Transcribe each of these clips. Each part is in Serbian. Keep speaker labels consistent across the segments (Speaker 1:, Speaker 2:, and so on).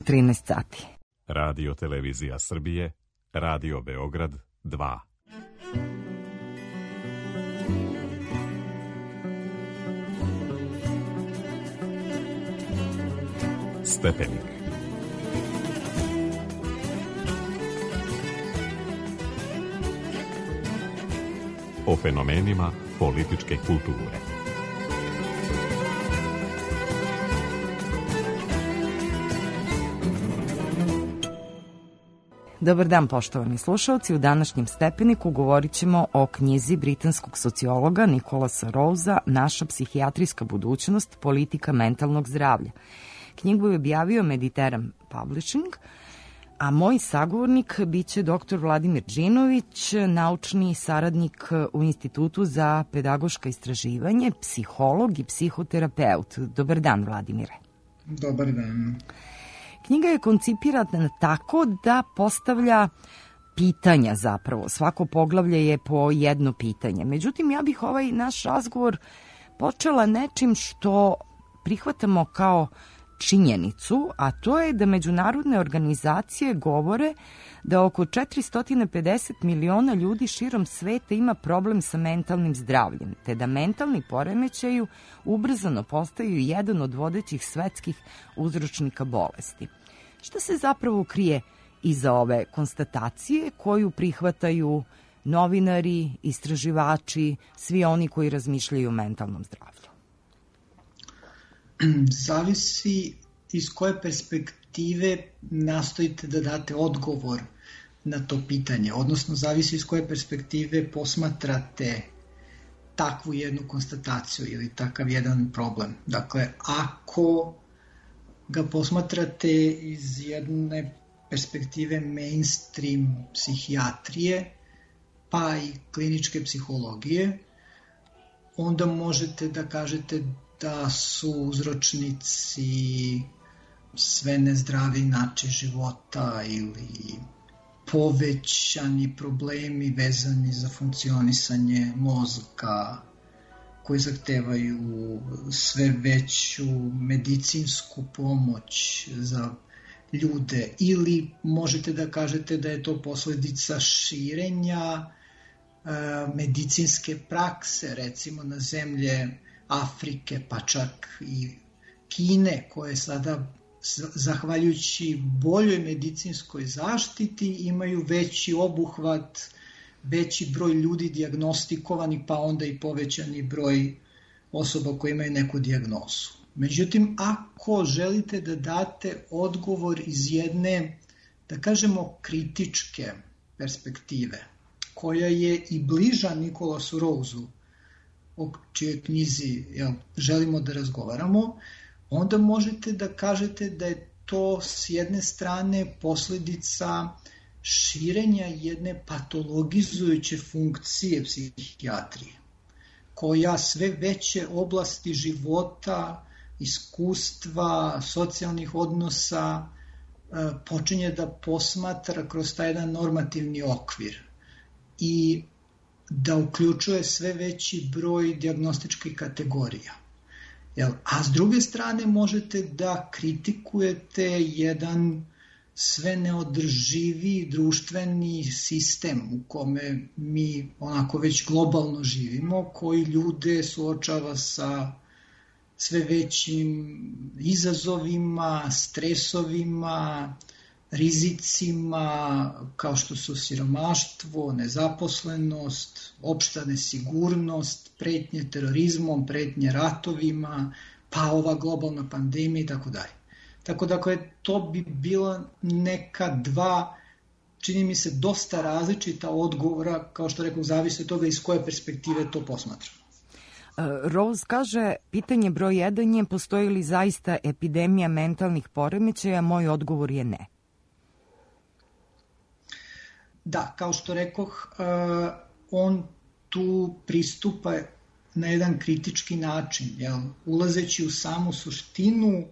Speaker 1: 13 sati.
Speaker 2: Radio Televizija Srbije, Radio Beograd 2. Stepenik. O fenomenima političke kulture.
Speaker 1: Dobar dan, poštovani slušalci. U današnjem Stepeniku govorit ćemo o knjizi britanskog sociologa Nicholasa Rowesa Naša psihijatrijska budućnost, politika mentalnog zdravlja. Knjigu je objavio Mediteran Publishing, a moj sagovornik biće dr. Vladimir Đinović, naučni saradnik u Institutu za pedagoška istraživanje, psiholog i psihoterapeut. Dobar dan, Vladimire.
Speaker 3: Dobar dan.
Speaker 1: Knjiga je koncipirana tako da postavlja pitanja zapravo. Svako poglavlje je po jedno pitanje. Međutim, ja bih ovaj naš razgovor počela nečim što prihvatamo kao činjenicu, a to je da međunarodne organizacije govore da oko 450 miliona ljudi širom sveta ima problem sa mentalnim zdravljem, te da mentalni poremećaji ubrzano postaju jedan od vodećih svetskih uzročnika bolesti. Šta se zapravo krije iza ove konstatacije koju prihvataju novinari, istraživači, svi oni koji razmišljaju o mentalnom zdravlju?
Speaker 3: Zavisi iz koje perspektive nastojite da date odgovor na to pitanje, odnosno zavisi iz koje perspektive posmatrate takvu jednu konstataciju ili takav jedan problem. Dakle, ako ga posmatrate iz jedne perspektive mainstream psihijatrije, pa i kliničke psihologije, onda možete da kažete da su uzročnici sve nezdraviji način života ili povećani problemi vezani za funkcionisanje mozga koji zahtevaju sve veću medicinsku pomoć za ljude, ili možete da kažete da je to posledica širenja medicinske prakse, recimo na zemlje Afrike, pa čak i Kine, koje sada, zahvaljujući boljoj medicinskoj zaštiti, imaju veći obuhvat, veći broj ljudi dijagnostikovanih, pa onda i povećani broj osoba koje imaju neku dijagnozu. Međutim, ako želite da date odgovor iz jedne, da kažemo, kritičke perspektive, koja je i bliža Nicholasu Rowesu, o čijoj knjizi želimo da razgovaramo, onda možete da kažete da je to s jedne strane posledica širenja jedne patologizujuće funkcije psihijatrije, koja sve veće oblasti života, iskustva, socijalnih odnosa počinje da posmatra kroz taj jedan normativni okvir i da uključuje sve veći broj dijagnostičkih kategorija. A s druge strane možete da kritikujete jedan sve neodrživi društveni sistem u kome mi onako već globalno živimo, koji ljude suočava sa sve većim izazovima, stresovima, rizicima kao što su siromaštvo, nezaposlenost, opšta nesigurnost, pretnje terorizmom, pretnje ratovima, pa ova globalna pandemija i tako dalje. Tako da to bi bila neka dva, čini mi se, dosta različita odgovora, kao što rekao, zavisi od toga iz koje perspektive to posmatramo.
Speaker 1: Rose kaže, pitanje broj 1 je postoji li zaista epidemija mentalnih poremećaja, moj odgovor je ne.
Speaker 3: Da, kao što rekoh, on tu pristupa na jedan kritički način, ulazeći u samu suštinu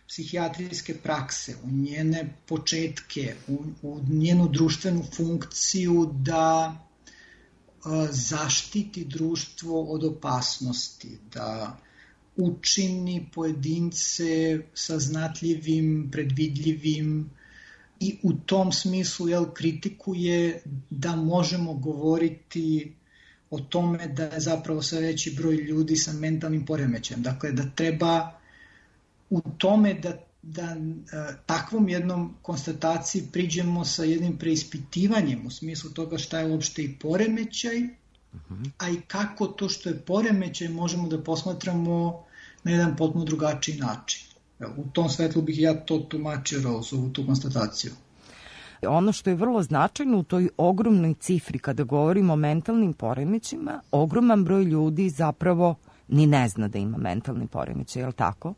Speaker 3: psihijatrijske prakse, u njene početke, u njenu društvenu funkciju da zaštiti društvo od opasnosti, da učini pojedince saznatljivim, predvidljivim i u tom smislu kritikuje da možemo govoriti o tome da je zapravo sve veći broj ljudi sa mentalnim poremećajem. Dakle, da treba u tome da takvom jednom konstataciji priđemo sa jednim preispitivanjem u smislu toga šta je uopšte i poremećaj, a i kako to što je poremećaj možemo da posmatramo na jedan potpuno drugačiji način. U tom svetlu bih ja to tumačio, Rose, tu konstataciju.
Speaker 1: Ono što je vrlo značajno u toj ogromnoj cifri kada govorimo o mentalnim poremećima, ogroman broj ljudi zapravo ni ne zna da ima mentalni poremećaj, je li tako?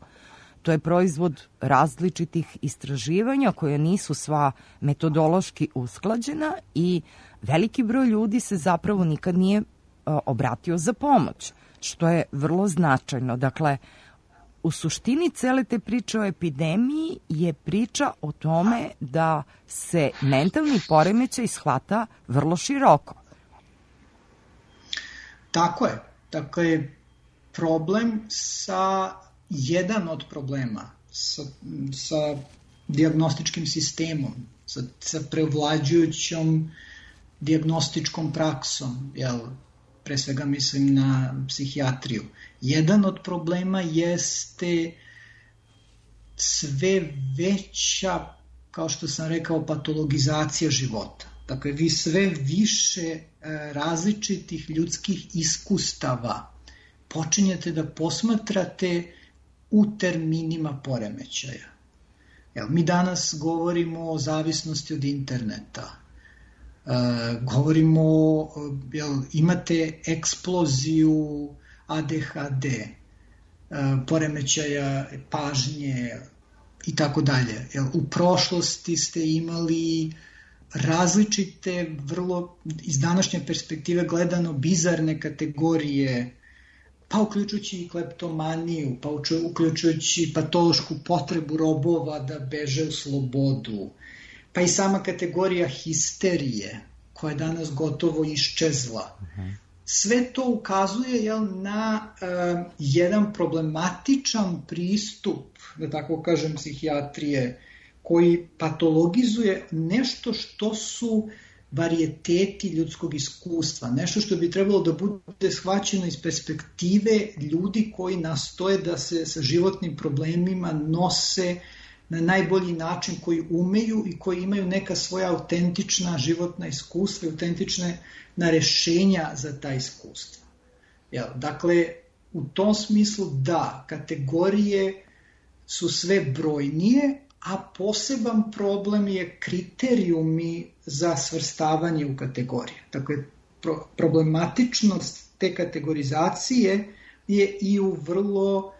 Speaker 1: To je proizvod različitih istraživanja koja nisu sva metodološki usklađena i veliki broj ljudi se zapravo nikad nije obratio za pomoć, što je vrlo značajno. Dakle, u suštini cele te priče o epidemiji je priča o tome da se mentalni poremećaj shvata vrlo široko.
Speaker 3: Tako je. Dakle, jedan od problema sa dijagnostičkim sistemom, sa prevlađujućom dijagnostičkom praksom, pre svega mislim na psihijatriju. Jedan od problema jeste sve veća, kao što sam rekao, patologizacija života. Dakle, vi sve više različitih ljudskih iskustava počinjete da posmatrate u terminima poremećaja. Mi danas govorimo o zavisnosti od interneta. Govorimo, imate eksploziju ADHD, poremećaja pažnje i tako dalje. U prošlosti ste imali različite, vrlo iz današnje perspektive gledano bizarne kategorije, pa uključujući i kleptomaniju, pa uključujući patološku potrebu robova da beže u slobodu, pa i sama kategorija histerije, koja je danas gotovo iščezla. Sve to ukazuje na jedan problematičan pristup, da tako kažem, psihijatrije, koji patologizuje nešto što su varijeteti ljudskog iskustva, nešto što bi trebalo da bude shvaćeno iz perspektive ljudi koji nastoje da se sa životnim problemima nose na najbolji način, koji umeju i koji imaju neka svoja autentična životna iskustva i autentične rešenja za ta iskustva. Dakle, u tom smislu da, kategorije su sve brojnije, a poseban problem je kriterijumi za svrstavanje u kategorije. Dakle, problematičnost te kategorizacije je i u vrlo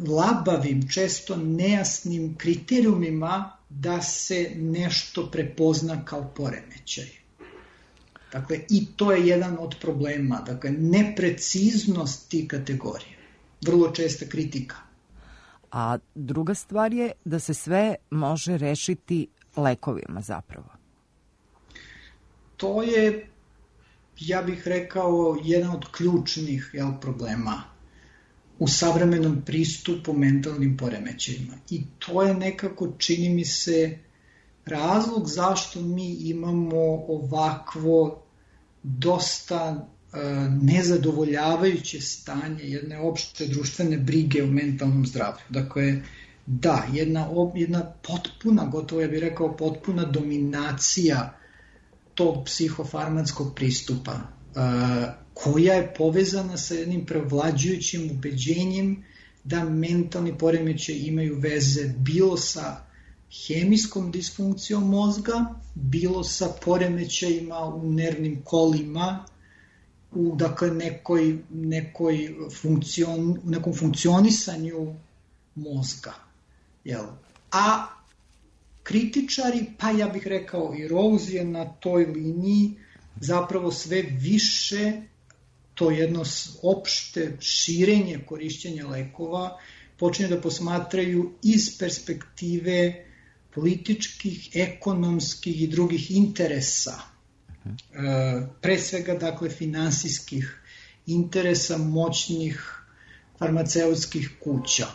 Speaker 3: labavim, često nejasnim kriterijumima da se nešto prepozna kao poremećaj. Dakle, i to je jedan od problema. Dakle, nepreciznost tih kategorija. Vrlo česta kritika.
Speaker 1: A druga stvar je da se sve može rešiti lekovima zapravo.
Speaker 3: To je, ja bih rekao, jedan od ključnih problema u savremenom pristupu mentalnim poremećajima. I to je nekako, čini mi se, razlog zašto mi imamo ovakvo dosta nezadovoljavajuće stanje jedne opšte društvene brige o mentalnom zdravlju. Dakle, da, jedna potpuna, gotovo ja bih rekao potpuna dominacija tog psihofarmackog pristupa, koja je povezana sa jednim prevlađujućim ubeđenjem da mentalni poremećaj imaju veze bilo sa hemijskom disfunkcijom mozga, bilo sa poremećajima u nervnim kolima, u nekom funkcionisanju mozga. A kritičari, pa ja bih rekao i Rose je na toj liniji zapravo sve više to jedno opšte širenje korišćenja lekova počinje da posmatraju iz perspektive političkih, ekonomskih i drugih interesa. Pre svega, dakle, finansijskih interesa moćnih farmaceutskih kuća,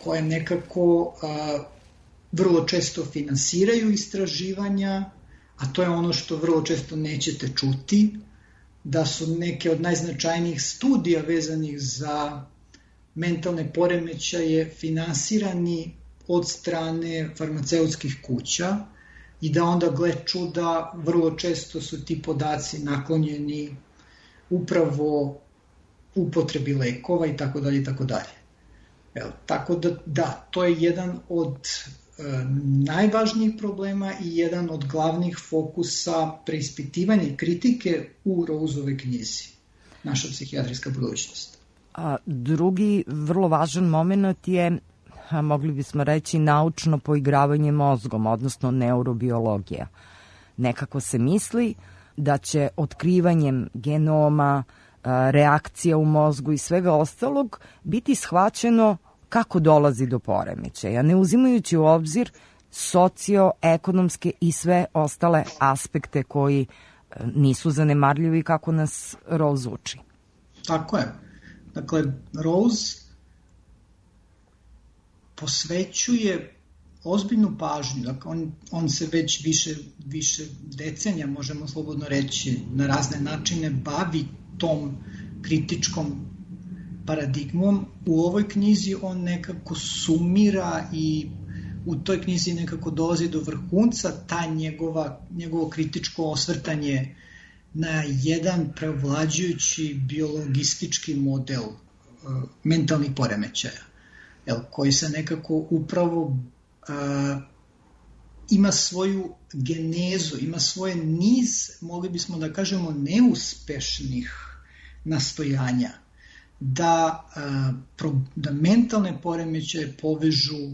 Speaker 3: koje nekako vrlo često finansiraju istraživanja, a to je ono što vrlo često nećete čuti, da su neke od najznačajnijih studija vezanih za mentalne poremećaje finansirani od strane farmaceutskih kuća i da onda, gle čuda, vrlo često su ti podaci naklonjeni upravo upotrebi lekova i tako dalje i tako dalje. Tako da, to je jedan od najvažnijih problema i jedan od glavnih fokusa preispitivanja i kritike u Roseovoj knjizi, Naša psihijatrijska budućnost.
Speaker 1: A drugi vrlo važan moment je, mogli bismo reći, naučno poigravanje mozgom, odnosno neurobiologija. Nekako se misli da će otkrivanjem genoma, reakcija u mozgu i svega ostalog biti shvaćeno kako dolazi do poremećaja, ne uzimajući u obzir socioekonomske i sve ostale aspekte koji nisu zanemarljivi kako nas Rose uči.
Speaker 3: Tako je. Dakle, Rose posvećuje ozbiljnu pažnju. Dakle, on se već više decenija, možemo slobodno reći, na razne načine bavi tom kritičkom paradigmom. U ovoj knjizi on nekako sumira i u toj knjizi nekako dolazi do vrhunca ta njegovo kritičko osvrtanje na jedan preovlađujući biologistički model mentalnih poremećaja, koji se nekako upravo ima svoju genezu, ima svoje niz, mogli bismo da kažemo, neuspešnih nastojanja da mentalne poremećaje povežu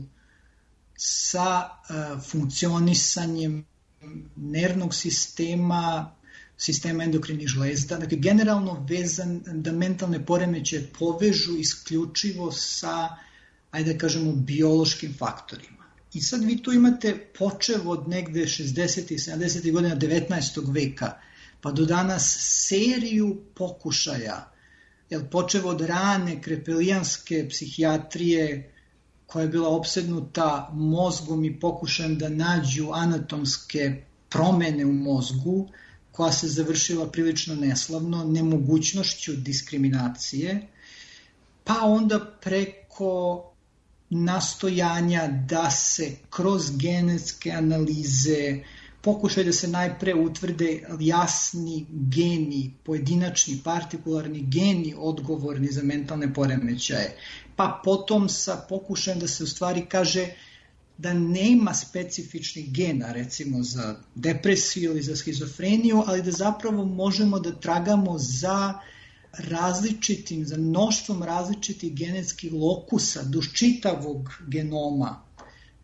Speaker 3: sa funkcionisanjem nervnog sistema endokrinih žlezda, dakle generalno vezan da mentalne poremećaje povežu isključivo sa, ajde da kažemo, biološkim faktorima. I sad vi tu imate počev od negde 60. i 70. godina 19. veka, pa do danas seriju pokušaja, počev od rane krepelijanske psihijatrije koja je bila opsednuta mozgom i pokušajem da nađu anatomske promene u mozgu, koja se završila prilično neslavno, nemogućnošću diskriminacije, pa onda preko nastojanja da se kroz genetske analize pokušaj da se najpre utvrde jasni geni, pojedinačni, partikularni geni odgovorni za mentalne poremećaje, pa potom sa pokušajem da se u stvari kaže da nema specifičnih gena, recimo za depresiju ili za schizofreniju, ali da zapravo možemo da tragamo za mnoštvom različitih genetskih lokusa duž čitavog genoma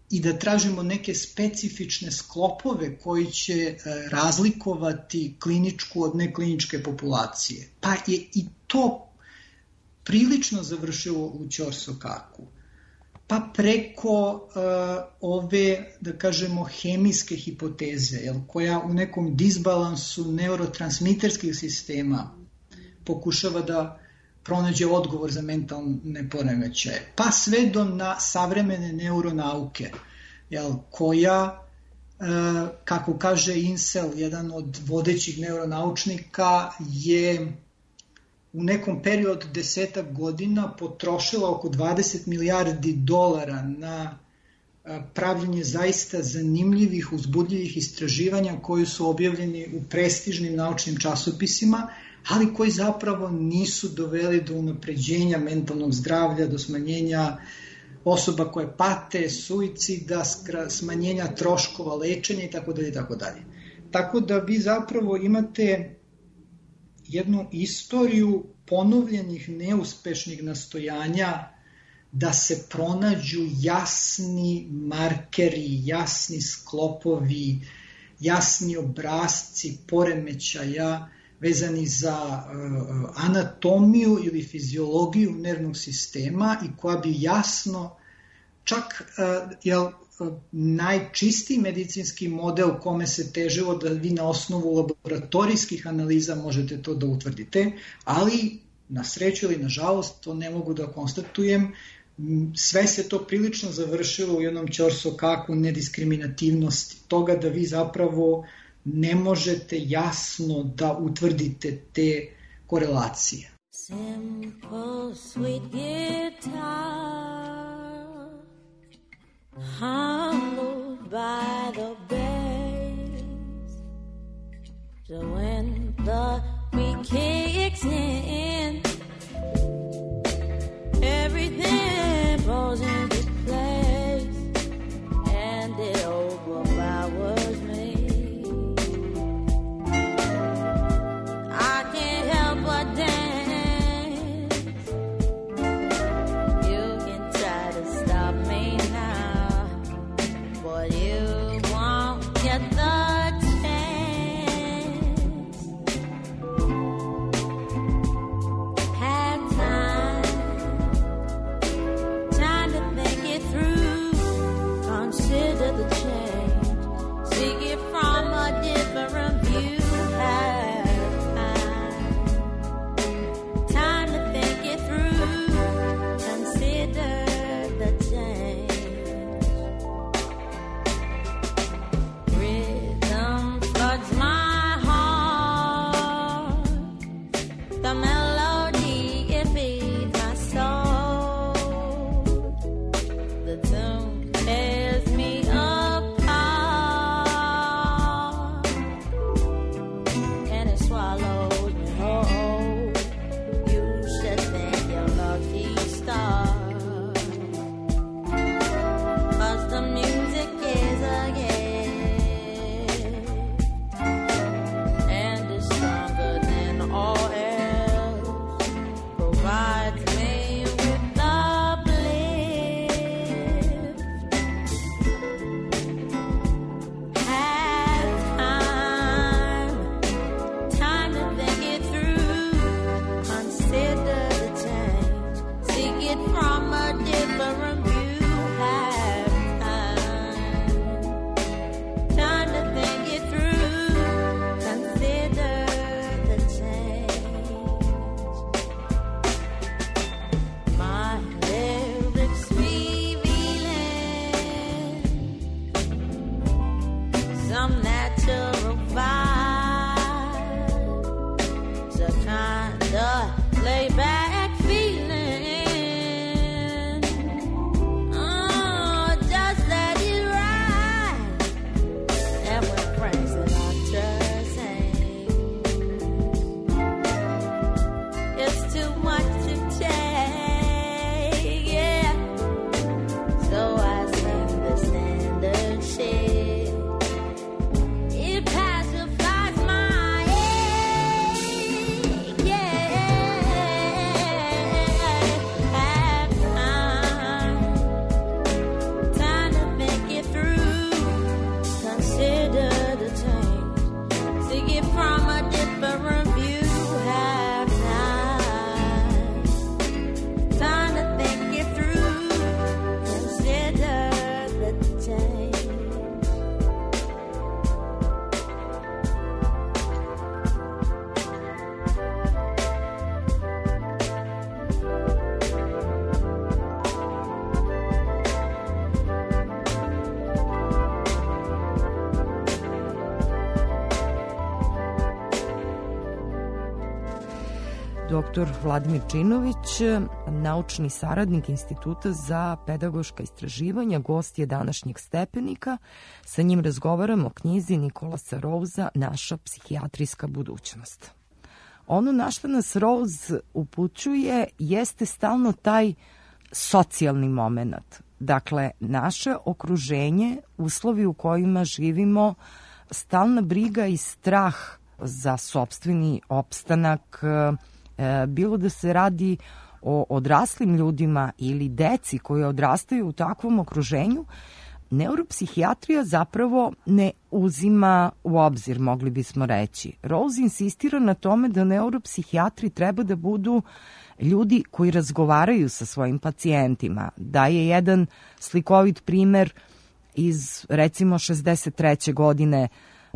Speaker 3: i da tražimo neke specifične sklopove koji će razlikovati kliničku od nekliničke populacije. Pa je i to prilično završilo u Ćorsokaku. Pa preko ove, da kažemo, hemijske hipoteze, koja u nekom disbalansu neurotransmiterskih sistema pokušava da pronađe odgovor za mentalne poremećaje, pa sve do savremene neuronauke, koja, kako kaže Insel, jedan od vodećih neuronaučnika, je u nekom periodu 10 godina potrošila oko $20 milijardi na pravljenje zaista zanimljivih, uzbudljivih istraživanja koji su objavljeni u prestižnim naučnim časopisima, ali koji zapravo nisu doveli do unapređenja mentalnog zdravlja, do smanjenja osoba koje pate, suicida, smanjenja troškova lečenja itd. Tako da vi zapravo imate jednu istoriju ponovljenih neuspešnih nastojanja da se pronađu jasni markeri, jasni sklopovi, jasni obrasci poremećaja vezani za anatomiju ili fiziologiju nervnog sistema i koja bi jasno, čak najčistiji medicinski model kome se težilo da vi na osnovu laboratorijskih analiza možete to da utvrdite, ali Na sreću ili na žalost, to ne mogu da konstatujem. Sve se to prilično završilo u jednom ćorsokaku nediskriminativnosti, toga da vi zapravo ne možete jasno da utvrdite te korelacije.
Speaker 4: Simple, sweet guitar, humbled by the bass. So when the beat kicks in, everything falls into place, and it overpowers me. I can't help but dance. You can try to stop me now, but you won't get the chance. Have time to think it through. Consider the change. Seek it from a different view. Time to think it through. Consider the change. Rhythm floods my heart. The melody, it feeds my soul. The tune tears me apart, and it swallows me whole. You should thank your lucky star, 'cause the music is a gift, and it's stronger than all else. Provides me with the bliss. Have time to think it through. Consider the change. Seek it from a different view. Have time to think it through. Consider the change. My lyrics revealing some natural vibe, so kinda laid back feeling. Oh, just let it ride. And when Frank Sinatra sings, it's too much to take, yeah. So I sing the standard shit. It pacifies my ache, yeah. Have time to think it through. Consider the change. Seek it from a different view. Have time to think it through. Consider the change.
Speaker 1: Dr. Vladimir Činović, naučni saradnik Instituta za pedagoška istraživanja, gost je današnjeg Stepenika. Sa njim razgovaramo o knjizi Nikolasa Rouza Naša psihijatrijska budućnost. Ono na što nas Rouse upućuje jeste stalno taj socijalni moment. Dakle, naše okruženje, uslovi u kojima živimo, stalna briga i strah za sopstveni opstanak, bilo da se radi o odraslim ljudima ili deci koji odrastaju u takvom okruženju, neuropsihijatrija zapravo ne uzima u obzir, mogli bismo reći. Rouse insistira na tome da neuropsihijatri treba da budu ljudi koji razgovaraju sa svojim pacijentima. Daje jedan slikovit primer iz, recimo, 63. godine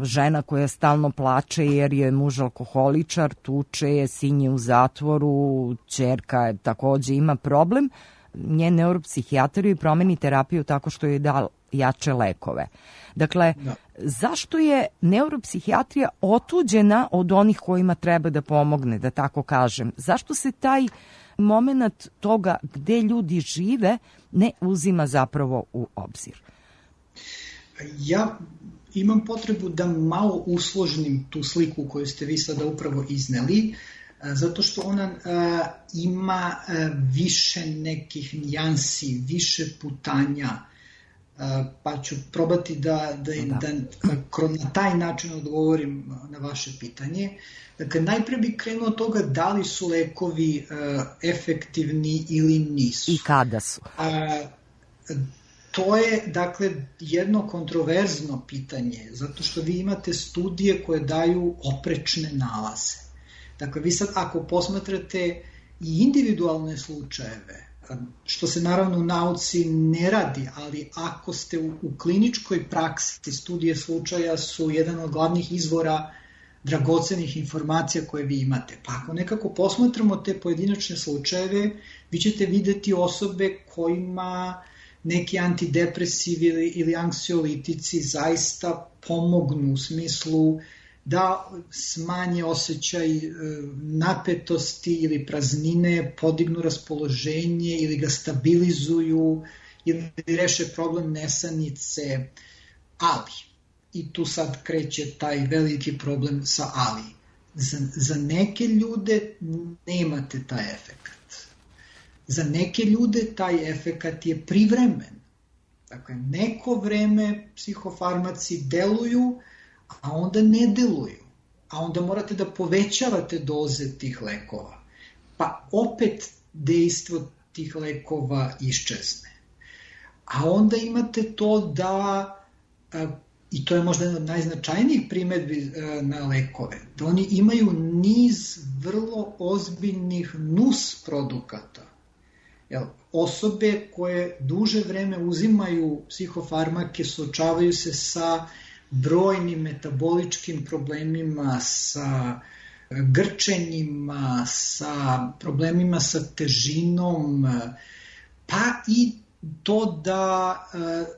Speaker 1: žena koja stalno plače jer je muž alkoholičar, tuče je, sin je u zatvoru, ćerka takođe ima problem, njen neuropsihijatar joj promeni terapiju tako što joj da jače lekove. Dakle, zašto je neuropsihijatrija otuđena od onih kojima treba da pomogne, da tako kažem? Zašto se taj moment toga gde ljudi žive ne uzima zapravo u obzir?
Speaker 3: Ja imam potrebu da malo usložnim tu sliku koju ste vi sada upravo izneli, zato što ona ima više nekih nijansi, više putanja, pa ću probati da na taj način odgovorim na vaše pitanje. Dakle, najpre bih krenuo od toga da li su lekovi efektivni ili nisu.
Speaker 1: I kada su?
Speaker 3: To je, dakle, jedno kontroverzno pitanje, zato što vi imate studije koje daju oprečne nalaze. Dakle, vi sad ako posmatrate i individualne slučajeve, što se naravno u nauci ne radi, ali ako ste u kliničkoj praksi, studije slučaja su jedan od glavnih izvora dragocenih informacija koje vi imate. Pa ako nekako posmatramo te pojedinačne slučajeve, vi ćete videti osobe kojima neki antidepresivi ili anksiolitici zaista pomognu u smislu da smanje osjećaj napetosti ili praznine, podignu raspoloženje ili ga stabilizuju ili reše problem nesanice, ali, i tu sad kreće taj veliki problem sa ali, za neke ljude nemate taj efekat. Za neke ljude taj efekat je privremen. Dakle, neko vreme psihofarmaci deluju, a onda ne deluju. A onda morate da povećavate doze tih lekova. Pa opet dejstvo tih lekova iščezne. A onda imate to da, i to je možda jedna od najznačajnijih primedbi na lekove, da oni imaju niz vrlo ozbiljnih nus produkata. Osobe koje duže vreme uzimaju psihofarmake suočavaju se sa brojnim metaboličkim problemima, sa grčenjima, sa problemima sa težinom, pa i to da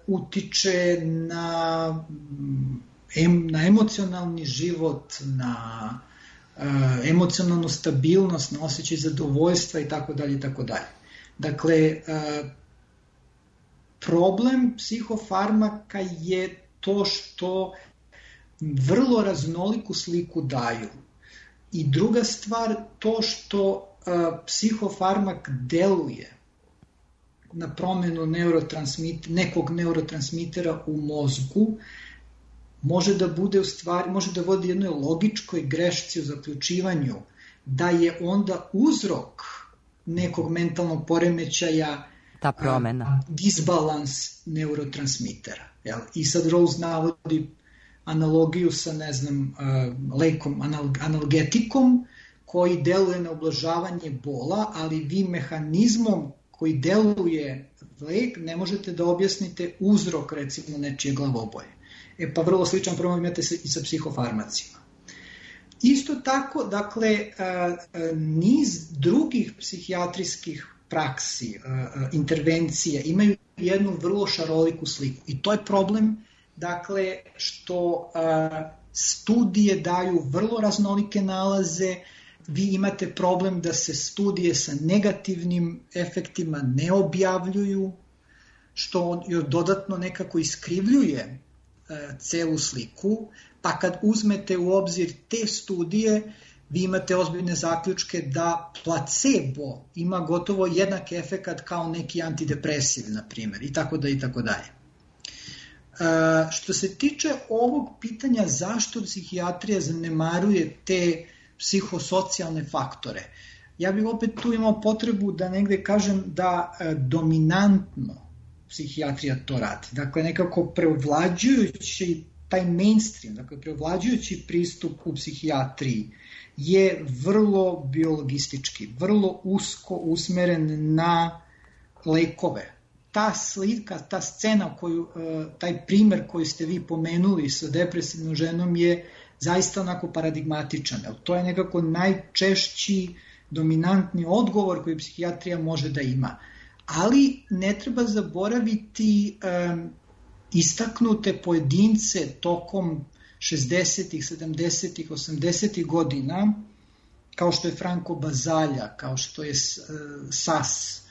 Speaker 3: utiče na emocionalni život, na emocionalnu stabilnost, na osjećaj zadovoljstva i tako dalje i tako dalje. Dakle, problem psihofarmaka je to što vrlo raznoliku sliku daju. I druga stvar, to što psihofarmak deluje na promenu nekog neurotransmitera u mozgu, može da bude u stvari, može da vodi jednoj logičkoj grešci u zaključivanju da je onda uzrok nekog mentalnog poremećaja
Speaker 1: ta promena,
Speaker 3: disbalans neurotransmitera. I sad Rose navodi analogiju sa, ne znam, lekom, analgetikom koji deluje na ublažavanje bola, ali vi mehanizmom koji deluje lek ne možete da objasnite uzrok, recimo, nečije glavoboje. Pa vrlo sličan problem imate i sa psihofarmacima. Isto tako, dakle, niz drugih psihijatrijskih praksi, intervencije imaju jednu vrlo šaroliku sliku. I to je problem, dakle, što studije daju vrlo raznolike nalaze, vi imate problem da se studije sa negativnim efektima ne objavljuju, što dodatno nekako iskrivljuje celu sliku, pa kad uzmete u obzir te studije, vi imate ozbiljne zaključke da placebo ima gotovo jednak efekat kao neki antidepresiv, na primjer, i tako da i tako dalje. Što se tiče ovog pitanja zašto psihijatrija zanemaruje te psihosocijalne faktore, ja bih opet tu imao potrebu da negde kažem da dominantno psihijatrija to radi. Dakle, nekako preovlađujući taj mainstream, dakle, preovlađujući pristup u psihijatriji je vrlo biologistički, vrlo usko usmeren na lekove. ta slika, ta scena, taj primer koji ste vi pomenuli sa depresivnom ženom je zaista onako paradigmatičan. To je nekako najčešći dominantni odgovor koji psihijatrija može da ima. Ali ne treba zaboraviti istaknute pojedince tokom 60-ih, 70-ih, 80-ih godina, kao što je Franco Bazalja, kao što je Sas,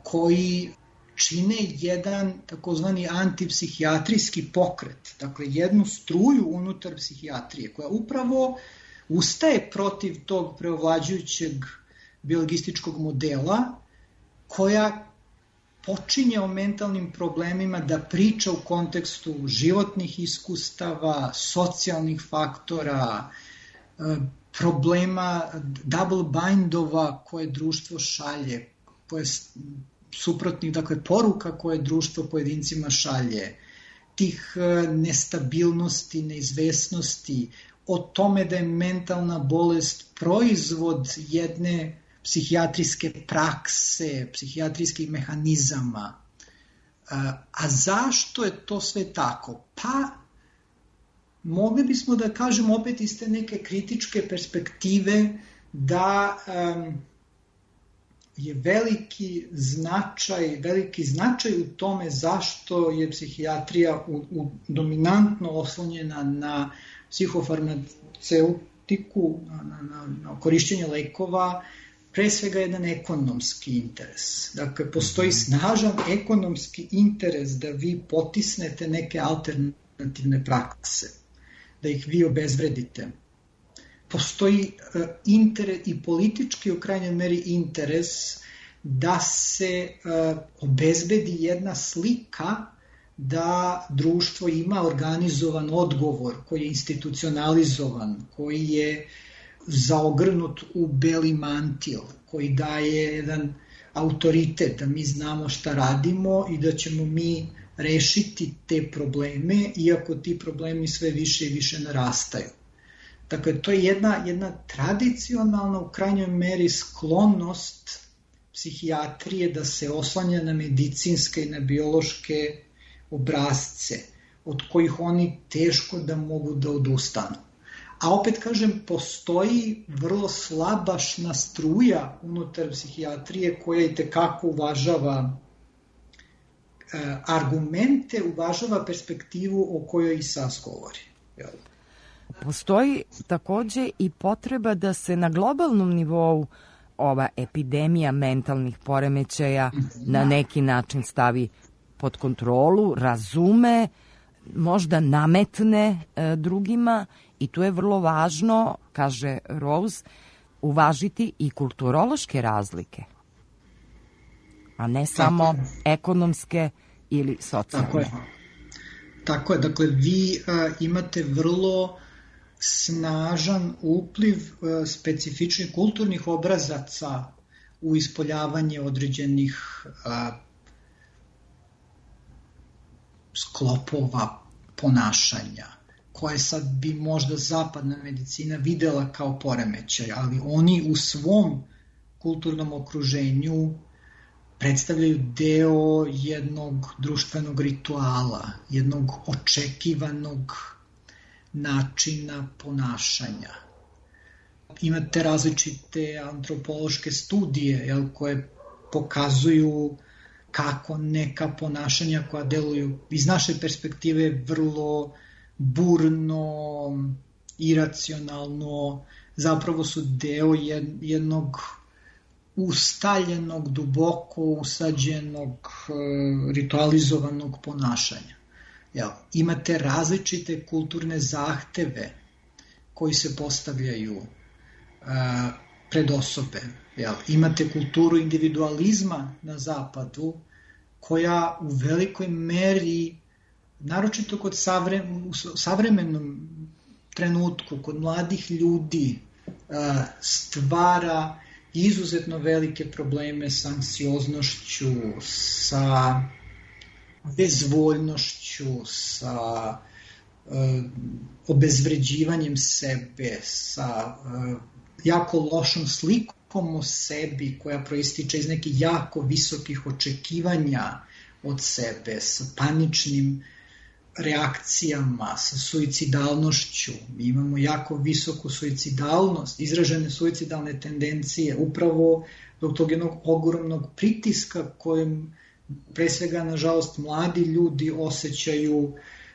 Speaker 3: koji čine jedan takozvani antipsihijatrijski pokret, dakle jednu struju unutar psihijatrije, koja upravo ustaje protiv tog preovlađujućeg biologističkog modela, koja počinje o mentalnim problemima da priča u kontekstu životnih iskustava, socijalnih faktora, problema double bindova koje društvo šalje, suprotnih, dakle, poruka koje društvo pojedincima šalje, tih nestabilnosti, neizvesnosti, o tome da je mentalna bolest proizvod jedne psihijatrijske prakse, psihijatrijskih mehanizama. A zašto je to sve tako? Pa, mogli bismo da kažemo opet iz te neke kritičke perspektive da je veliki značaj u tome zašto je psihijatrija dominantno oslonjena na psihofarmaceutiku, na korišćenje lekova, pre svega jedan ekonomski interes. Dakle, postoji snažan ekonomski interes da vi potisnete neke alternativne prakse, da ih vi obezvredite. Postoji interes i politički u krajnjoj meri interes da se obezbedi jedna slika da društvo ima organizovan odgovor koji je institucionalizovan, koji je zaogrnut u beli mantil, koji daje jedan autoritet da mi znamo šta radimo i da ćemo mi rešiti te probleme, iako ti problemi sve više i više narastaju. Dakle, to je jedna tradicionalna u krajnjoj meri sklonost psihijatrije da se oslanja na medicinske i na biološke obrazce, od kojih oni teško da mogu da odustanu. A opet kažem, postoji vrlo slabašna struja unutar psihijatrije koja i tekako uvažava argumente, uvažava perspektivu o kojoj i Sas govori.
Speaker 1: Postoji takođe i potreba da se na globalnom nivou ova epidemija mentalnih poremećaja na neki način stavi pod kontrolu, razume, možda nametne drugima i tu je vrlo važno, kaže Rose, uvažiti i kulturološke razlike, a ne samo ekonomske ili socijalne.
Speaker 3: Tako je, dakle vi imate vrlo snažan upliv specifičnih kulturnih obrazaca u ispoljavanje određenih sklopova ponašanja, koje sad bi možda zapadna medicina videla kao poremećaj, ali oni u svom kulturnom okruženju predstavljaju deo jednog društvenog rituala, jednog očekivanog načina ponašanja. Imate različite antropološke studije koje pokazuju kako neka ponašanja koja deluju iz naše perspektive vrlo burno, iracionalno, zapravo su deo jednog ustaljenog, duboko usađenog, ritualizovanog ponašanja. Imate različite kulturne zahteve koji se postavljaju pred osobe. Imate kulturu individualizma na zapadu koja u velikoj meri, naročito u savremenom trenutku, kod mladih ljudi, stvara izuzetno velike probleme sa anksioznošću, sa bezvoljnošću, sa obezvređivanjem sebe, sa jako lošom slikom slikom o sebi koja proističe iz nekih jako visokih očekivanja od sebe, sa paničnim reakcijama, sa suicidalnošću. Mi imamo jako visoku suicidalnost, izražene suicidalne tendencije, upravo zbog tog jednog ogromnog pritiska kojem pre svega, nažalost, mladi ljudi osjećaju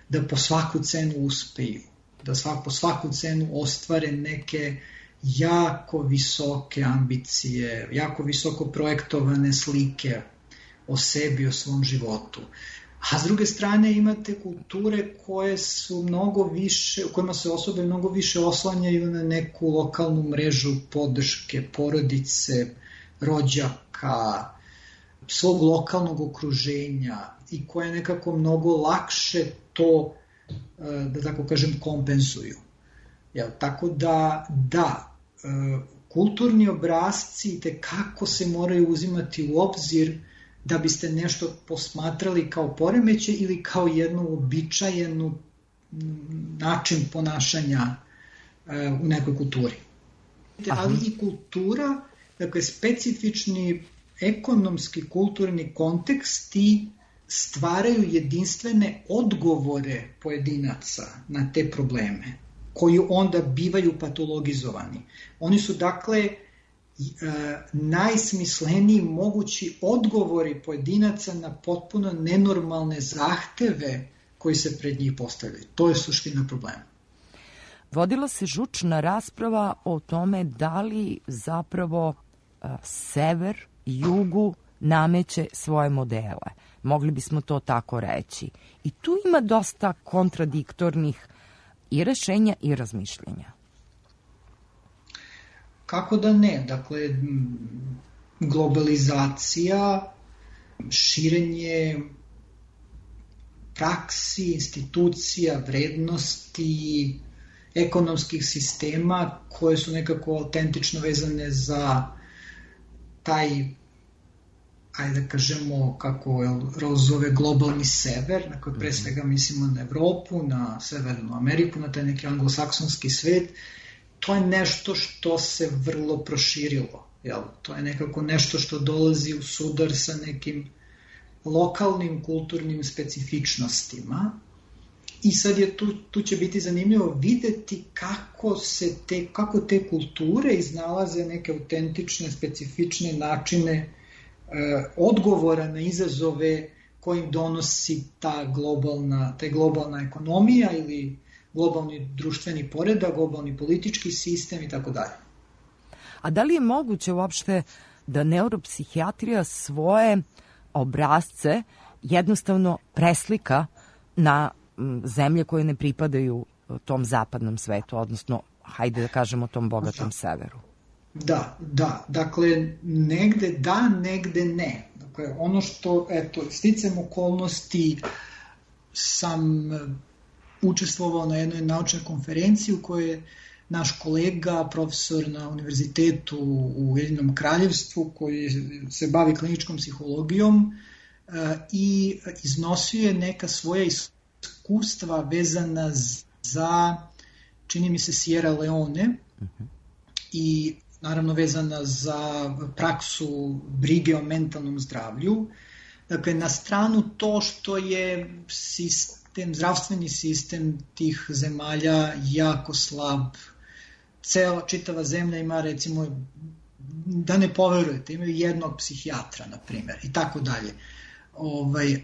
Speaker 3: da po svaku cenu uspeju, da po svaku cenu ostvare neke jako visoke ambicije, jako visoko projektovane slike o sebi, o svom životu. A s druge strane imate kulture koje su mnogo više, u kojima se osobe mnogo više oslanjaju na neku lokalnu mrežu podrške, porodice, rođaka, svog lokalnog okruženja i koje nekako mnogo lakše to, da tako kažem, kompenzuju. Tako da, kulturni obrasci tekako se moraju uzimati u obzir da biste nešto posmatrali kao poremećaj ili kao jednu uobičajenu način ponašanja u nekoj kulturi. Ali i kultura, dakle specifični ekonomski, kulturni konteksti stvaraju jedinstvene odgovore pojedinaca na te probleme, koji onda bivaju patologizovani. Oni su, dakle, najsmisleniji mogući odgovori pojedinaca na potpuno nenormalne zahteve koji se pred njih postavljaju. To je suština problema.
Speaker 1: Vodila se žučna rasprava o tome da li zapravo sever jugu nameće svoje modele. Mogli bismo to tako reći. I tu ima dosta kontradiktornih i rešenja i razmišljenja.
Speaker 3: Kako da ne? Dakle, globalizacija, širenje praksi, institucija, vrednosti, ekonomskih sistema koje su nekako autentično vezane za taj, ajde da kažemo, kako Rose zove, globalni sever, na koji pre svega mislimo na Evropu, na Severnu Ameriku, na taj neki anglosaksonski svet. To je nešto što se vrlo proširilo. To je nekako nešto što dolazi u sudar sa nekim lokalnim kulturnim specifičnostima. I sad je tu će biti zanimljivo videti kako te kulture iznalaze neke autentične, specifične načine odgovora na izazove kojim donosi ta globalna ekonomija ili globalni društveni poredak, globalni politički sistem i tako dalje.
Speaker 1: A da li je moguće uopšte da neuropsihijatrija svoje obrazce jednostavno preslika na zemlje koje ne pripadaju tom zapadnom svetu, odnosno, hajde da kažemo, tom bogatom severu?
Speaker 3: Da. Dakle, negde da, negde ne. Dakle, ono što, sticam okolnosti sam učestvovao na jednoj naučnoj konferenciji u kojoj je naš kolega, profesor na univerzitetu u Ujedinjenom Kraljevstvu, koji se bavi kliničkom psihologijom i iznosio je neka svoja iskustva vezana za, čini mi se, Sierra Leone i naravno vezana za praksu brige o mentalnom zdravlju. Dakle, na stranu to što je zdravstveni sistem tih zemalja jako slab. Čitava zemlja ima, recimo, da ne poverujete, imaju jednog psihijatra, na primjer, i tako dalje.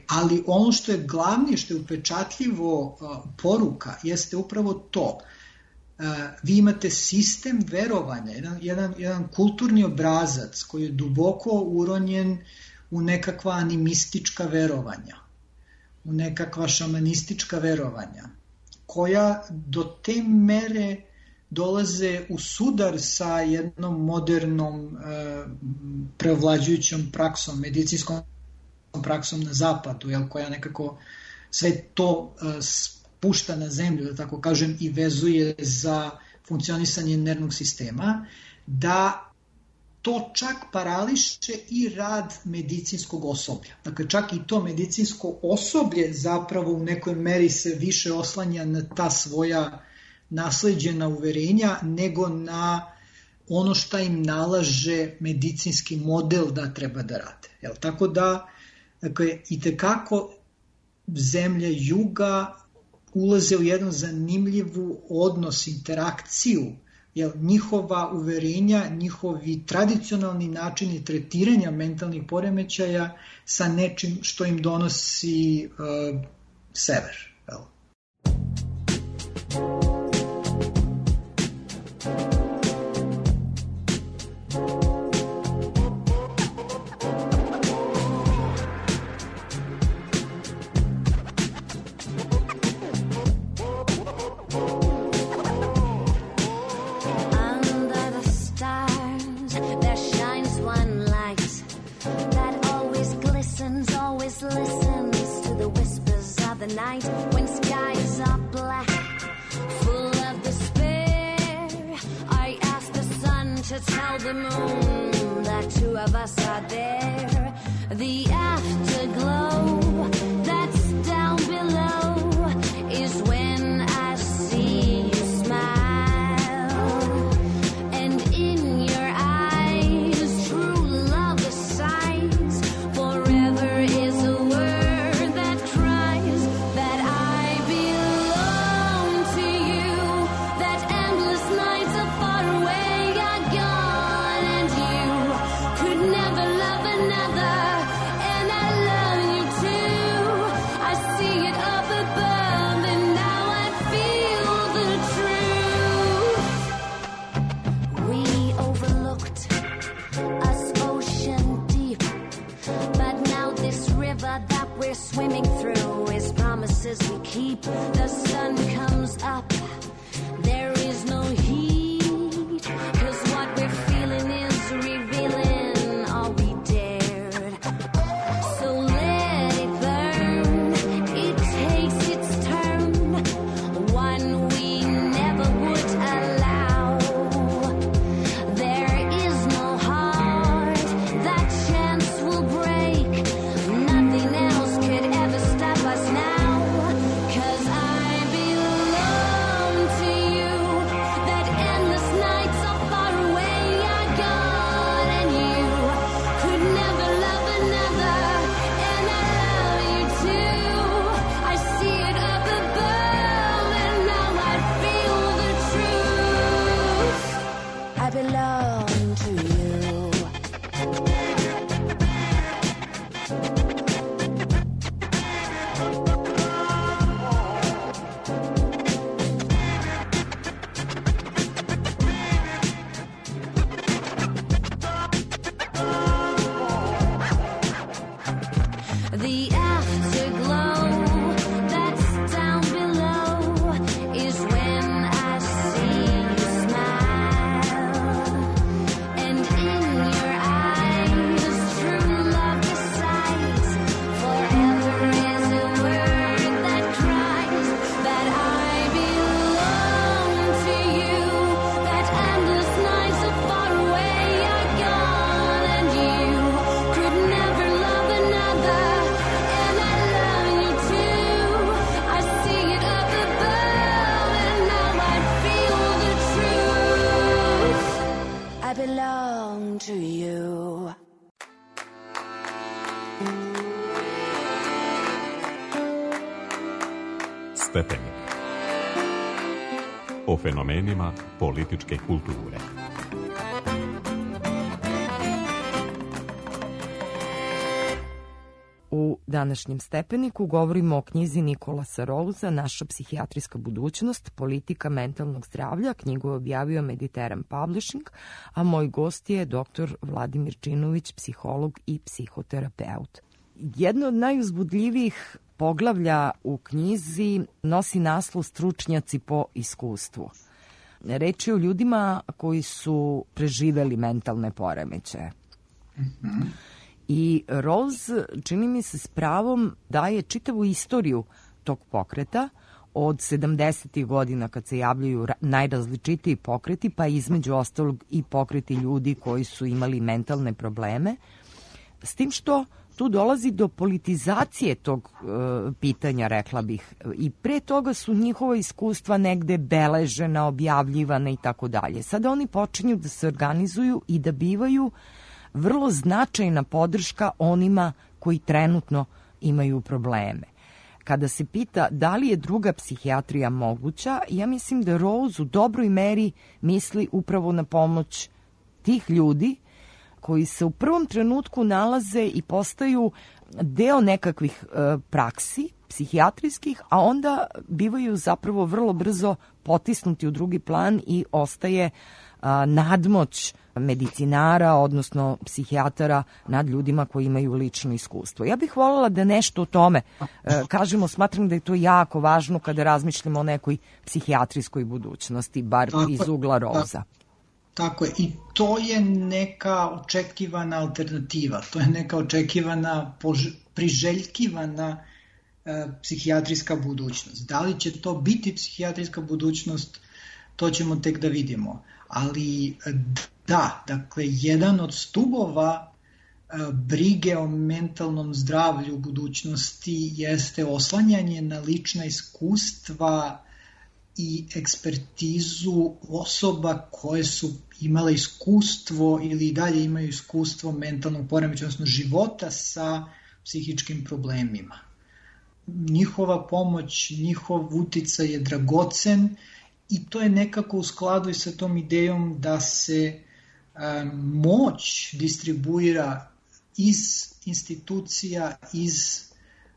Speaker 3: Ali ono što je glavnije, što je upečatljivo poruka, jeste upravo to. Vi imate sistem verovanja, jedan kulturni obrazac koji je duboko uronjen u nekakva animistička verovanja, u nekakva šamanistička verovanja, koja do te mere dolaze u sudar sa jednom modernom preovlađujućom praksom, medicinskom praksom na zapadu, koja nekako sve to pušta na zemlju, da tako kažem, i vezuje za funkcionisanje nervnog sistema, da to čak parališe i rad medicinskog osoblja. Dakle, čak i to medicinsko osoblje zapravo u nekoj meri se više oslanja na ta svoja nasleđena uverenja nego na ono šta im nalaže medicinski model da treba da rade. Tako da, itekako zemlje juga ulaze u jedan zanimljivu odnos, interakciju, njihova uverenja, njihovi tradicionalni načini tretiranja mentalnih poremećaja sa nečim što im donosi sever.
Speaker 2: Stepenik. O fenomenima političke kulture.
Speaker 1: U današnjem Stepeniku govorimo o knjizi Nikolasa Rouza Naša psihijatrijska budućnost, politika mentalnog zdravlja. Knjigu je objavio Mediteran Publishing, a moj gost je dr. Vladimir Činović, psiholog i psihoterapeut. Jedno od najuzbudljivijih poglavlja u knjizi nosi naslov Stručnjaci po iskustvu. Reč je o ljudima koji su preživeli mentalne poremećaje. I Rouze, čini mi se s pravom, daje čitavu istoriju tog pokreta od 70. godina kad se javljaju najrazličitiji pokreti, pa između ostalog i pokreti ljudi koji su imali mentalne probleme, s tim što tu dolazi do politizacije tog pitanja, rekla bih. I pre toga su njihova iskustva negde beležena, objavljivana i tako dalje. Sada oni počinju da se organizuju i da bivaju vrlo značajna podrška onima koji trenutno imaju probleme. Kada se pita da li je druga psihijatrija moguća, ja mislim da Rose u dobroj meri misli upravo na pomoć tih ljudi koji se u prvom trenutku nalaze i postaju deo nekakvih praksi psihijatrijskih, a onda bivaju zapravo vrlo brzo potisnuti u drugi plan i ostaje nadmoć medicinara, odnosno psihijatara nad ljudima koji imaju lično iskustvo. Ja bih voljela da nešto o tome kažemo, smatram da je to jako važno kada razmišljamo o nekoj psihijatrijskoj budućnosti, bar iz ugla Rosa.
Speaker 3: Tako je, i to je neka očekivana alternativa, to je neka očekivana, priželjkivana psihijatrijska budućnost. Da li će to biti psihijatrijska budućnost, to ćemo tek da vidimo. Ali da, dakle, jedan od stubova brige o mentalnom zdravlju u budućnosti jeste oslanjanje na lična iskustva i ekspertizu osoba koje su imale iskustvo ili dalje imaju iskustvo mentalnog poremećaja, odnosno života sa psihičkim problemima. Njihova pomoć, njihov uticaj je dragocen i to je nekako u skladu i sa tom idejom da se moć distribuira iz institucija, iz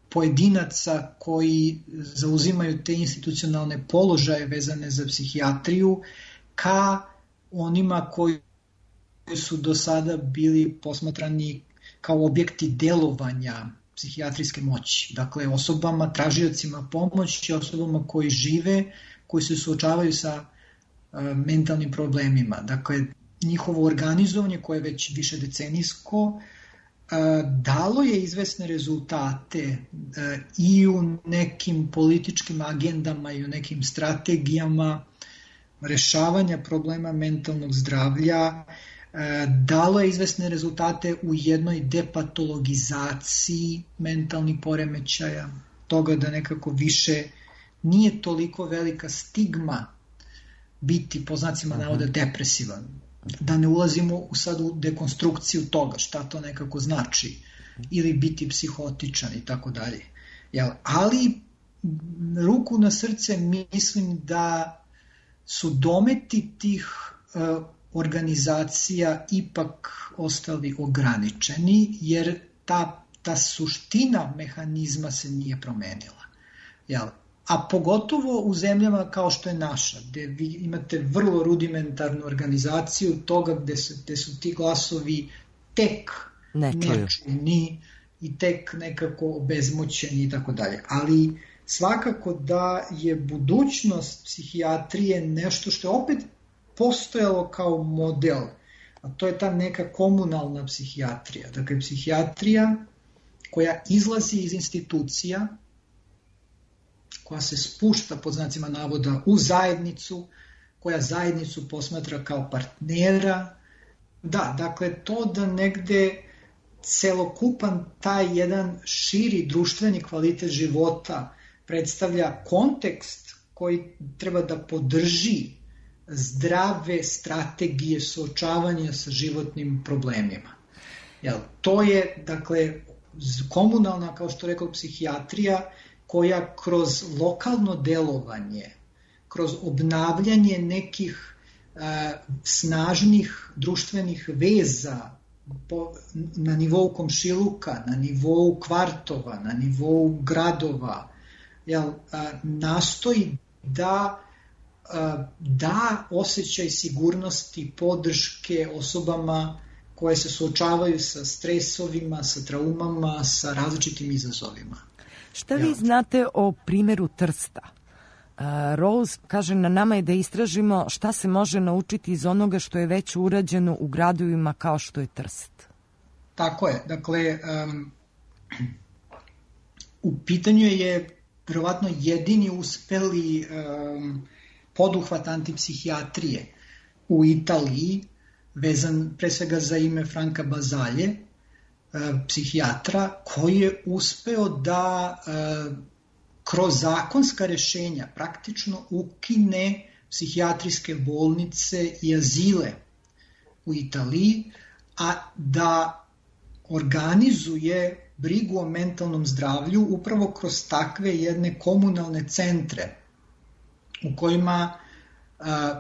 Speaker 3: pojedinaca koji zauzimaju te institucionalne položaje vezane za psihijatriju ka onima koji su do sada bili posmatrani kao objekti delovanja psihijatrijske moći. Dakle, osobama, tražiocima pomoći, osobama koji žive, koji se suočavaju sa mentalnim problemima. Dakle, njihovo organizovanje koje je već više decenijsko dalo je izvesne rezultate i u nekim političkim agendama i u nekim strategijama rešavanja problema mentalnog zdravlja, dalo je izvesne rezultate u jednoj depatologizaciji mentalnih poremećaja, toga da nekako više nije toliko velika stigma biti, po znacima navoda, depresivan. Da ne ulazimo sad u dekonstrukciju toga, šta to nekako znači, ili biti psihotičan i tako dalje. Ali, ruku na srce, mislim da su dometi tih organizacija ipak ostali ograničeni, jer ta suština mehanizma se nije promenila. A pogotovo u zemljama kao što je naša, gde vi imate vrlo rudimentarnu organizaciju toga gde su ti glasovi tek nečuni i tek nekako obezmoćeni i tako dalje. Ali svakako da je budućnost psihijatrije nešto što je opet postojalo kao model, a to je ta neka komunalna psihijatrija. Dakle, psihijatrija koja izlazi iz institucija, koja se spušta, pod znacima navoda, u zajednicu, koja zajednicu posmatra kao partnera. Da, dakle, to da negde celokupan taj jedan širi društveni kvalitet života predstavlja kontekst koji treba da podrži zdrave strategije suočavanja sa životnim problemima. To je, dakle, komunalna, kao što rekao, psihijatrija, koja kroz lokalno delovanje, kroz obnavljanje nekih snažnih društvenih veza na nivou komšiluka, na nivou kvartova, na nivou gradova, nastoji da osjećaj sigurnosti, podrške osobama koje se suočavaju sa stresovima, sa traumama, sa različitim izazovima.
Speaker 1: Šta vi znate o primjeru Trsta? Rose kaže, na nama je da istražimo šta se može naučiti iz onoga što je već urađeno u gradovima kao što je Trst.
Speaker 3: Tako je. Dakle, u pitanju je verovatno jedini uspeli poduhvat antipsihijatrije u Italiji, vezan pre svega za ime Franka Bazalje, psihijatra koji je uspeo da kroz zakonska rešenja praktično ukine psihijatrijske bolnice i azile u Italiji, a da organizuje brigu o mentalnom zdravlju upravo kroz takve jedne komunalne centre u kojima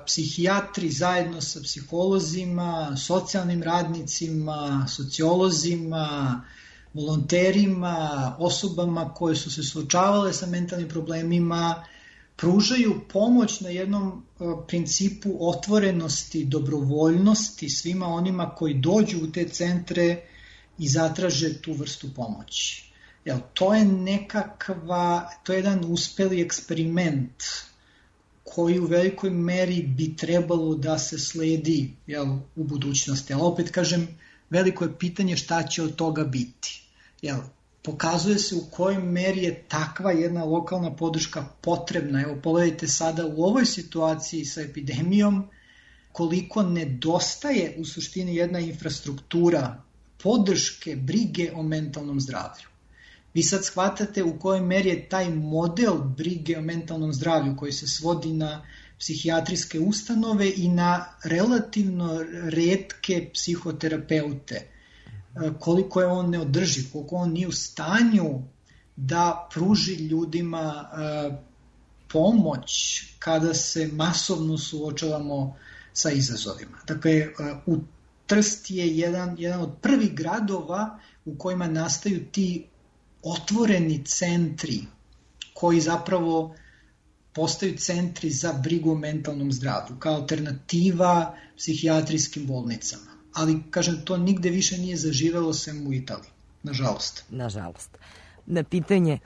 Speaker 3: psihijatri zajedno sa psiholozima, socijalnim radnicima, sociolozima, volonterima, osobama koje su se suočavale sa mentalnim problemima, pružaju pomoć na jednom principu otvorenosti, dobrovoljnosti svima onima koji dođu u te centre i zatraže tu vrstu pomoći. To je to je jedan uspeli eksperiment koji u velikoj meri bi trebalo da se sledi u budućnosti. Ali opet kažem, veliko je pitanje šta će od toga biti. Pokazuje se u kojoj meri je takva jedna lokalna podrška potrebna. Evo, pogledajte sada u ovoj situaciji sa epidemijom koliko nedostaje u suštini jedna infrastruktura podrške, brige o mentalnom zdravlju. Vi sad shvatate u kojoj meri je taj model brige o mentalnom zdravlju koji se svodi na psihijatrijske ustanove i na relativno retke psihoterapeute, koliko je on neodrživ, koliko on nije u stanju da pruži ljudima pomoć kada se masovno suočavamo sa izazovima. Dakle, u Trst je jedan od prvih gradova u kojima nastaju ti otvoreni centri koji zapravo postaju centri za brigu o mentalnom zdravlju kao alternativa psihijatrijskim bolnicama. Ali, kažem, to nigde više nije zaživelo sem u Italiji, nažalost.
Speaker 1: Nažalost. Na pitanje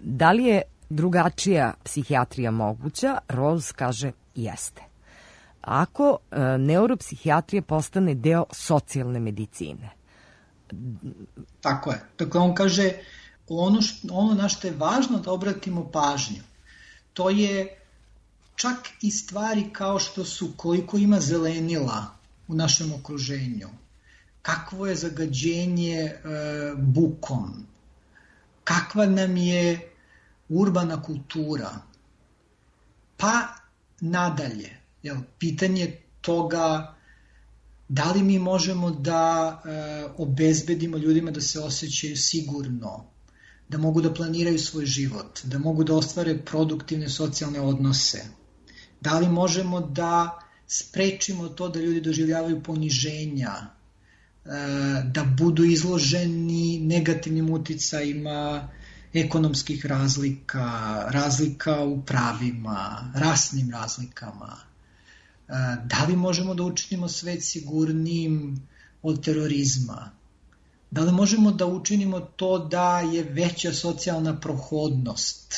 Speaker 1: da li je drugačija psihijatrija moguća, Rose kaže jeste. Ako neuropsihijatrija postane deo socijalne medicine.
Speaker 3: Tako je. Dakle, on kaže ono na što je važno da obratimo pažnju, to je čak i stvari kao što su koliko ima zelenila u našem okruženju, kakvo je zagađenje bukom, kakva nam je urbana kultura, pa nadalje. Pitanje toga da li mi možemo da obezbedimo ljudima da se osjećaju sigurno, da mogu da planiraju svoj život, da mogu da ostvare produktivne socijalne odnose, da li možemo da sprečimo to da ljudi doživljavaju poniženja, da budu izloženi negativnim uticajima ekonomskih razlika, razlika u pravima, rasnim razlikama. Da li možemo da učinimo svet sigurnijim od terorizma? Da li možemo da učinimo to da je veća socijalna prohodnost,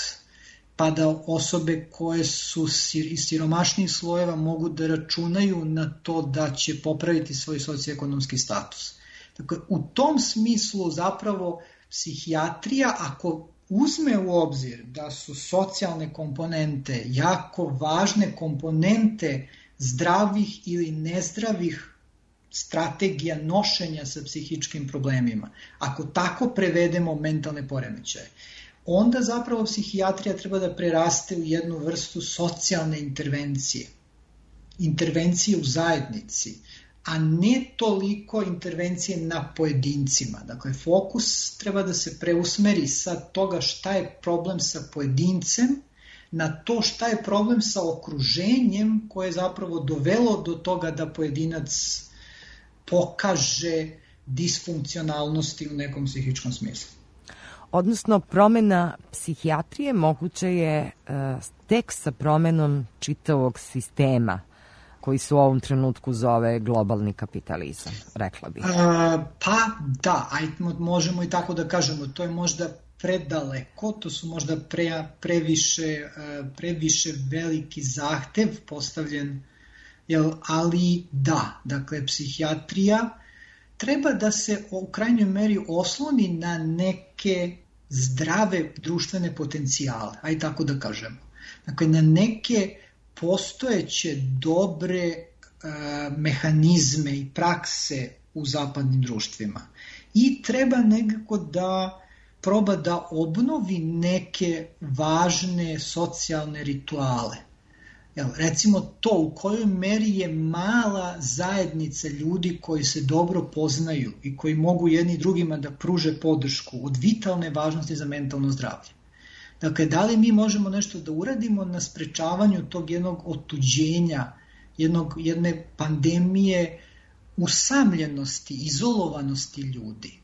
Speaker 3: pa da osobe koje su iz siromašnijih slojeva mogu da računaju na to da će popraviti svoj socioekonomski status? Dakle, u tom smislu zapravo psihijatrija, ako uzme u obzir da su socijalne komponente jako važne komponente zdravih ili nezdravih strategija nošenja sa psihičkim problemima, ako tako prevedemo mentalne poremećaje, onda zapravo psihijatrija treba da preraste u jednu vrstu socijalne intervencije, intervencije u zajednici, a ne toliko intervencije na pojedincima. Dakle, fokus treba da se preusmeri sa toga šta je problem sa pojedincem na to šta je problem sa okruženjem koje je zapravo dovelo do toga da pojedinac pokaže disfunkcionalnosti u nekom psihičkom smislu.
Speaker 1: Odnosno, promena psihijatrije moguće je tek sa promenom čitavog sistema koji se u ovom trenutku zove globalni kapitalizam, rekla bih.
Speaker 3: Pa da, možemo i tako da kažemo, to je možda predaleko, to su možda previše veliki zahtev postavljen, ali da, dakle, psihijatrija treba da se u krajnjoj meri osloni na neke zdrave društvene potencijale, aj tako da kažemo. Dakle, na neke postojeće dobre mehanizme i prakse u zapadnim društvima. i treba nekako da proba da obnovi neke važne socijalne rituale. Recimo to u kojoj meri je mala zajednica ljudi koji se dobro poznaju i koji mogu jedni drugima da pruže podršku od vitalne važnosti za mentalno zdravlje. Dakle, da li mi možemo nešto da uradimo na sprečavanju tog jednog otuđenja, jedne pandemije usamljenosti, izolovanosti ljudi?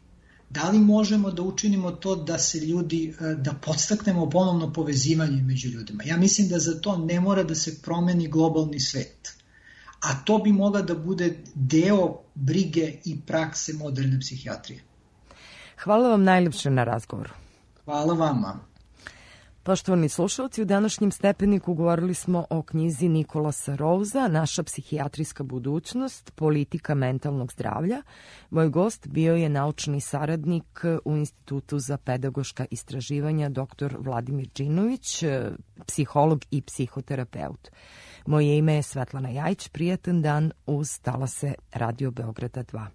Speaker 3: Da li možemo da učinimo to da se ljudi, da podstaknemo ponovno povezivanje među ljudima? Ja mislim da za to ne mora da se promeni globalni svet. A to bi mogla da bude deo brige i prakse moderne psihijatrije.
Speaker 1: Hvala vam najljepše na razgovoru.
Speaker 3: Hvala vama.
Speaker 1: Poštovani slušalci, u današnjem Stepeniku govorili smo o knjizi Nikolasa Rouza, Naša psihijatrijska budućnost, politika mentalnog zdravlja. Moj gost bio je naučni saradnik u Institutu za pedagoška istraživanja dr. Vladimir Đinović, psiholog i psihoterapeut. Moje ime je Svetlana Jajić, prijatan dan uz talase Radio Beograda 2.